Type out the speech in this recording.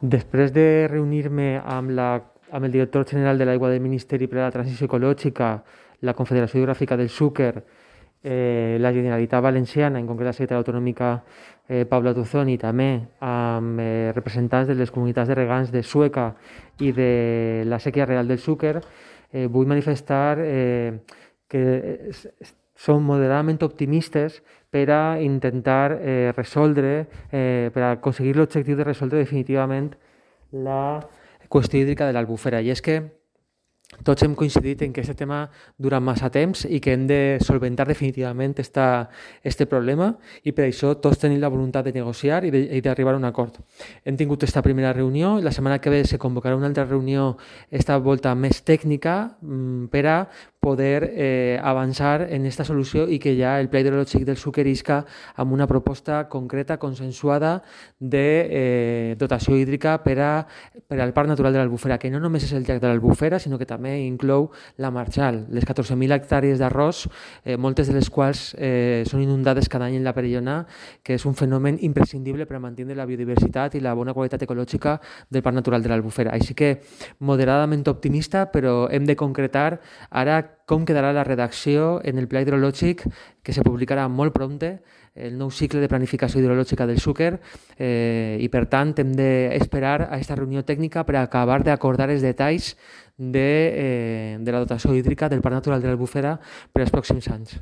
Després de reunir-me amb el director general de l'Aigua del Ministeri per a la Transició Ecològica, la Confederació Hidrogràfica del Xúquer, la Generalitat Valenciana, en concret la secretària autonòmica Paula Tuzón, i també amb representants de les comunitats de regants de Sueca i de la Sèquia Real del Xúquer, vull manifestar que som moderadament optimistes per a intentar resoldre, per a aconseguir l'objectiu de resoldre definitivament la qüestió hídrica de l'Albufera. I és que tots hem coincidit en que aquest tema dura massa temps i que hem de solventar definitivament este problema, i per això tots tenim la voluntat de negociar i d'arribar a un acord. Hem tingut esta primera reunió, la setmana que ve se convocarà una altra reunió, esta volta més tècnica, per a poder avançar en esta solució i que ja el Pla Hidrològic del Xúquer isca amb una proposta concreta, consensuada, de dotació hídrica per al Parc Natural de l'Albufera, que no només és el llac de l'Albufera, sinó que també inclou la Marjal, les 14.000 hectàrees d'arròs, moltes de les quals són inundades cada any en la Perellona, que és un fenomen imprescindible per a mantenir la biodiversitat i la bona qualitat ecològica del Parc Natural de l'Albufera. Així que moderadament optimista, però hem de concretar ara com quedarà la redacció en el Pla Hidrològic, que se publicarà molt prompte, el nou cicle de planificació hidrològica del Xúquer, i per tant hem d'esperar a aquesta reunió tècnica per acabar d'acordar els detalls de la dotació hídrica del Parc Natural de l'Albufera per als pròxims anys.